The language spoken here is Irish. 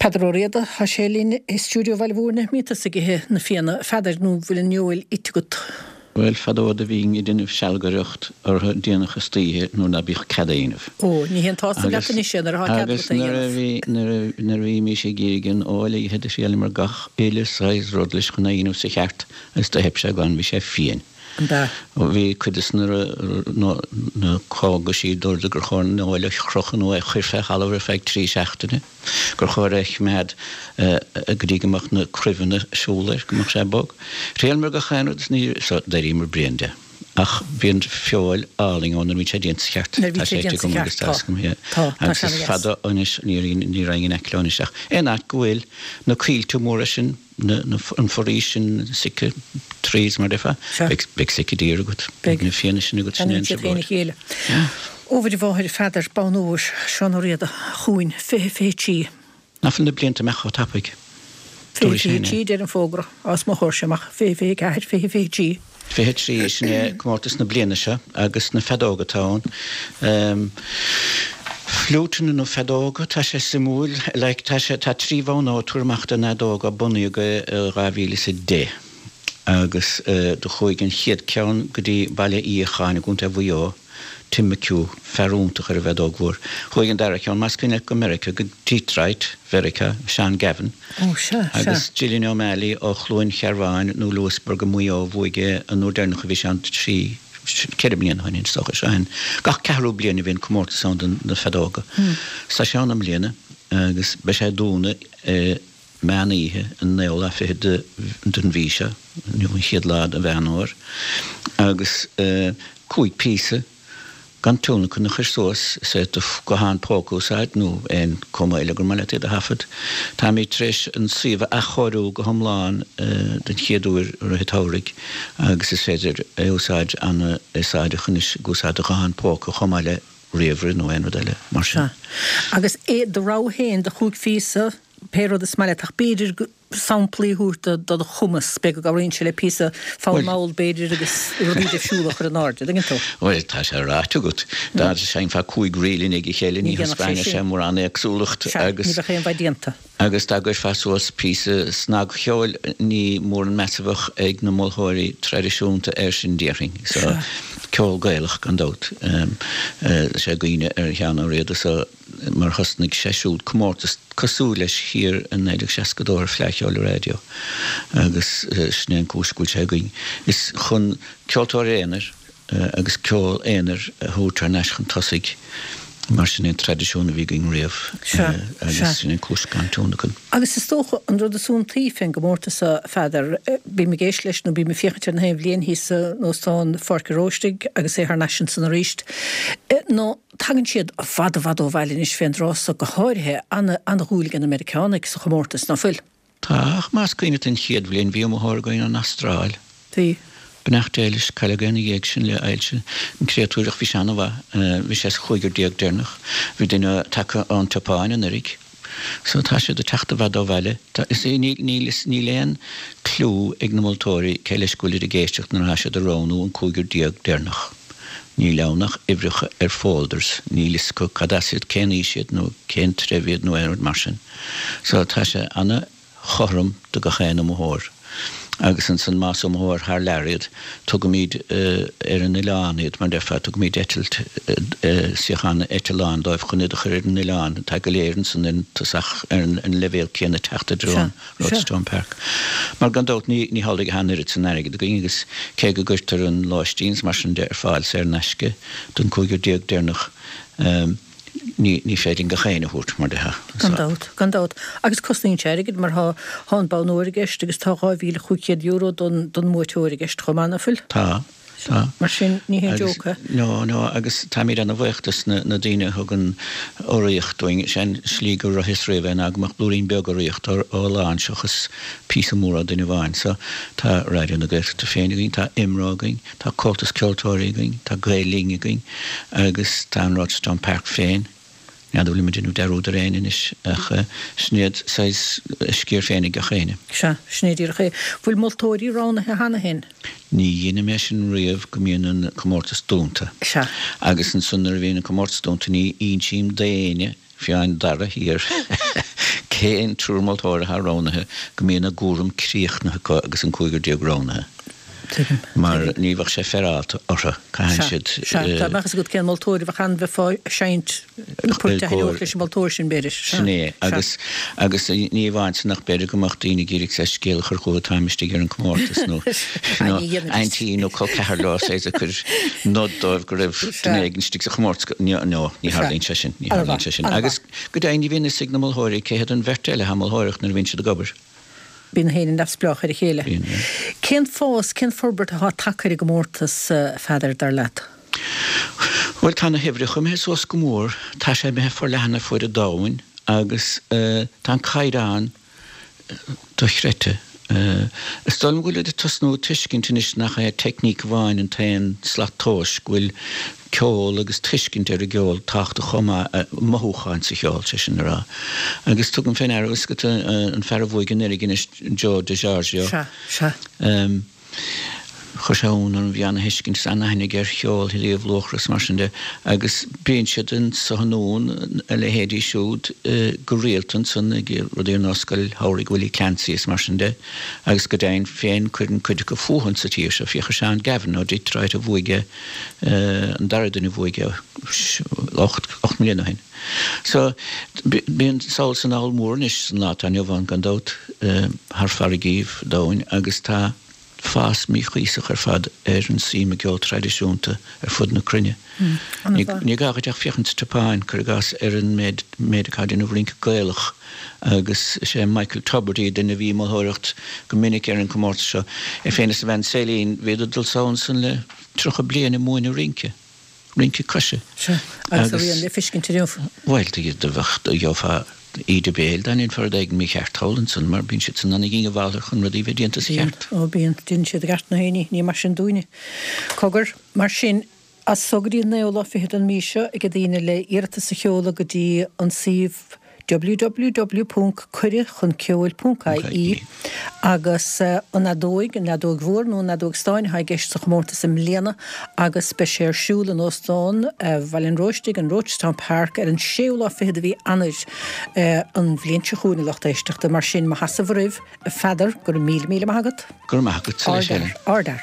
Peadar Ó Riada, tá sé linn i stiúideo Bhaile Mhúirne. Mbíonn tusa ag ithe na fianna, a Pheadair, nó bhfuil an fheoil ite agat? Bhuel, fadó do bhínn ag déanamh sealgaireacht orthu déanach istoíche nuair ná bíodh cead a dhéanamh. Ó, ní haon tsásamh leat anois é nuair atá cead agat é a dhéanamh. Agus nuair a bhí, nuair a bhímís ag iarraidh an fheoil a ithe do thriaileamar gach uile saghas rud leis chun é a dhéanamh sa cheart agus do theip sé glan, bhí sé fiain. An ea? Bhí cuid de na cógaisí a dúirt gur chóir an fheoil a chrochadh nó é a chur fé thalamh ar feadh 3 seachtaine, gur chóir é a choimeád go dtí go mbeadh na cruimheanna ag siúl air, go mbeadh sé bog. Thriaileamar gach aon rud is ní, so d'éiríomar bréan de. Ach bíonn feoil álainn ann nuair a bhíonn sé déanta sa cheart. Nuair a bhíonn sé déanta sa cheart, tá. Tá, tá sé ana dheas. Agus is fada anois, ní raghainn in aice leo anois ach aon áit go bhfuil na coillte móra sin, an foraois sin, syca trees mar déarfá, beidh sika deer agat, beidh na fianna sin agat, sin é an trioblóid. Ó Mhuire Mháthair, Pheadair, bonn óir, Seán Ó Riada chugainn, 2023. Ná fuil na blianta imeacht chomh tapaidh? 2023 deir an fógra, os mo chomhair amach, 2024, 2023. 23, sin é comórtas na bliana seo agus na feadóga atá ann. Fliúiteanna nó feadóga, tá sé suimiúil, like tá sé, tá 3 bhonn óir tabhair amach don fheadóg ó bunaíodh é i 2010 agus do chuaigh an chéad ceann go dtí Baile Uí Fhiacháin i gContae Mhaigh Eo, Tim McHugh, fear iontach ar an bhfeadóg mhór. Chuaigh an dara ceann, más cuimhin leat, go Meiriceá, go Detroit, Mheiriceá, Seán Gavin. Ó, sea, sea. Agus Gillian O'Malley ó Chluain Chearbháin nó Louisburgh i Maigh Eo, bhuaigh é an uair deireanach a bhí sé ann 3, 4 bliana ó shin, is dócha. Seo an, gach ceathrú bliain a bhíonn comórtas ann do na feadóga. Tá sé ann i mbliana agus beidh sé ag dúnadh i meán oíche an naoú lá fichead den mhí seo, inniu an chéad lá de Mheán Fhómhair, agus 5 píosa gan tionlacan a chur suas, is é do ghuthán póca a úsáid nó aon cuma eile gur maith leat iad a thaifead. Táimid tar éis an suíomh a athchóiriú go hiomlán den chéad uair i rith an tsamhraidh agus is féidir é a úsáid an-úsáideach anois ag úsáid do ghuthán póca chomh maith le ríomhaire nó aon rud eile mar sin. Sea. Agus é do rogha féin de chúig phíosa, pé rud is maith leat, ach b'fhéidir samplaí a thabhairt do do chumas, b'fhéidir go gcabhraíonn sé le píosa fonn mall b'fhéidir agus rudaí difriúla a chur in airde, dtuigeann tú? Bhuel, tá sé ráite agat. Dá seinnfeá 5 ríl i ndiaidh a chéile ní thaispeánfadh sé mórán éagsúlacht agus. Sea, ní bheadh aon mhaith déanta. Agus dá gcuirfeá suas píosa snagcheoil ní mór an meas a bheadh ag na moltóirí traidisiúnta air sin déarfainn. So, ceol Gaelach gan dabht. Sé i gcuimhne ar Sheán Ó Riada so mar thosnaigh sé siúd comórtas cosúil leis thiar i 1962 ar Fleadh Cheoil an Raidió agus sin é an cúis go bhfuil sé againn. Is chun ceoltóirí aonair agus ceol aonair a thabhairt thar n-ais chun tosaigh mar sin é an traidisiún a bhí againn riamh agus sin é an cúis gan tionlacan. Agus is dócha an rud is iontaí fén gcomórtas seo, a Pheadair, bím ag éisteacht leis nó bím ag féachaint air na haon bhliain thíos in Óstán Pháirc an Róistigh agus é thar n-ais ansan aríst, ná Tagann siad i bhfad i bhfad ó bhaile anois fén dtráth so, go háirithe, ana-dhúil ag na Meiriceánaigh sa chomórtas, ná fuil? Tá, ach más cuimhin leat an chéad bhliain bhí iomaitheoir againn ón Astráil. Bhí. Beannacht Dé leis, cailleadh é ina dhiaidh sin le ailse an créatúr ach bhí sé ana-mhaith. Bhí sé sa chúigear deireanach. Bhí duine tagtha ón tSeapáin anuraidh. So tá siad ag teacht i bhfad ó bhaile. Tá, is é, níl, níl, is níl aon cliú ag na moltóirí cé leis go bhfuilid ag éisteacht nuair atá siad ag roghnú an cúigear deireanach. Níl ann ach uimhreacha ar folders, níl fhios acu cad as iad, cén aois iad nó cén treibh iad nó aon rud mar sin. So tá sé ana chothrom do gach aon iomaitheoir. Agus ansan más iomaitheoir thar lear iad, tugaimid ar an oileán iad, mar déarfá, tugaimid eitilt, suíochán eitleáin dóibh chun iad a chur ar an oileán. Tá go léir ansan ar an tosach, ar an leibhéal céanna teacht i dtreo an Rochestown Park. Mar gan dabht ní ní hamhlaidh atá an oiread san airgead againn agus cé go gcuirtear an lóistín is mar sin de ar fáil saor in aisce don chúigear deireanach, Ní, ní féidir linn gach éinne a thabhairt, mar déarfá. Gan dabht, gan dabht. Agus cosnaíonn sé airgead mar tá, tá an bonn óir i gceist agus tá €2,500 don, don mbuaiteoir i gceist chomh maith, ná fuil? Tá, tá. Mar sin, ní haon joke é. No, no, agus táimid ana-bhuíoch dos na, na daoine a thugann urraíocht dúinn. Sé an slí gur ritheas riamh é ná go mbeadh blúirín beag urraíocht ó, ó a lán seachas píosa mór ó duine amháin. So, tá Raidió na Gaeltachta féin againn, tá IMRO againn, Tá Comhaltas Ceoltóirí againn, tá Gael Linn againn agus tá an Rochestown Park féin. N'fheadar bhfuilim ag déanamh dearúd ar éinne anois ach sin iad saghas a sciar féin ag gach éinne. Sea, sin é díreach é. Bhfuil moltóirí roghnaithe cheana féin? Ní dheinim é sin riamh go mbíonn an comórtas dúnta. Sea. Agus ansan nuair a bhíonn an comórtas dúnta ní insím d'éinne, fiú an dara thiar, cén triúr moltóir atá roghnaithe go mbíonn a gcúram críochnaithe acu agus an cúigear roghnaithe. Tuigim. Mar ní bheadh sé féaráilte orthu. Caitheann siad. Sea, sea. Dá mbeadh fhios agat cén moltóir a bheadh ann bheifeá ag seinnt na poirt a thaitneodh leis an moltóir sin, b'fhéidir. Sea. Sin é. Agus, agus ní amháin sin ach b'fhéidir go mbeadh daoine ag iarraidh saghas scéal a chur chucu táim istigh ar an comórtas nó, nó aintín nó col ceathar leo saghas ag cur nod dóibh go raibh duine éigin istigh sa chomórtas. No, no, ní tharlaíonn sé sin. Ní tharlaíonn sé sin. Agus go deimhin ní bhíonn fhios ag na moltóirí cé hiad an bheirt eile atá ag moltóireacht nuair a bhíonn siad ag obair. Bíonn gach éinne neamhspleách ar a chéile. Bíonn, yeah. Cén fás, cén forbairt atá tagtha ar an gcomórtas, a Pheadair, dar leat? Bhuel, tá na huimhreacha imithe suas go mór, tá sé imithe forleathan ar fuaid an domhain agus tá an caighdeán dochreidte. Is dóigh liom go bhfuil ag tosnú ag tuiscint anois nach é teicníc amháin an t-aon slat tomhais, go bhfuil ceol agus tuiscint ar an gceol tábhachtach chomh maith, mothúcháin sa cheol, sé sin le rá. Agus tugaim fé ndeara, fhios agat, an fear a bhuaigh anuraidh anois, Joe DiGiorgio. Sea, sea. Chuir sé ionadh orm, bhí ana-thuiscint is ana-aithne aige ar cheol Thír Uíbh Luachra is mar sin de agus bíonn siad anso anonn, a leithéidí siúd, go rialta ansan ag rudaí ar nós Scoil Shamhraidh Willie Clancy is mar sin de agus go deimhin féin cuireann cuid acu fúthu sa tír seo, féach ar Seán Gavin ó Detroit a bhuaigh an dara duine a bhuaigh é 8 mbliana ó shin. So, bíonn sall is anall mór anois san lá atá inniu ann gan dabht, thar farraigíbh domhain agus tá fás míchuíosach ar fad ar an suim i gceol traidisiúnta ar fud na cruinne. Ní gá dhuit ach féachaint sa tSeapáin, cuir i gcás, ar an méid atá ag déanamh rince Gaelach agus is é Michael Tubridy, duine a bhí ag moltóireacht go minic ar an gcomórtas seo, é féin is a bhean Céline, bhíodar ag dul sall ansan le 30 bliain ag múineadh rince, rince coise. Sea, agus a rian le feiscint inniu. Bhuel, do bheadh, do gheofá íde béil dá ndéanfá rud éigin mícheart thall ansan, mar bíonn siad san ana-dhíongbhálach chun rudaí bheith déanta sa cheart. Bíonn, ó bíonn, déanann siad i gceart na héinní, ní mar sin dúinne. Cogar, mar sin, as so go dtí an naoú lá fichead den mhí seo ag daoine le iarratas a sheoladh go dtí an suíomh www.cuireadhchunceoil.ie agus an fheadóig, an fheadóig mhór nó an fheadóig stáin atá i gceist sa chomórtas i mbliana agus beidh sé ar siúl in Óstán Bhaile an Róistigh, an Rochestown Park, ar an séú lá fichead de mhí Eanáir an bhliain seo chugainn, a lucht éisteachta. Mar sin, mo sheasamh oraibh, a Pheadair, go raibh míle míle maith agat. Go raibh maith agat, Ard-fhear, ard-fhear.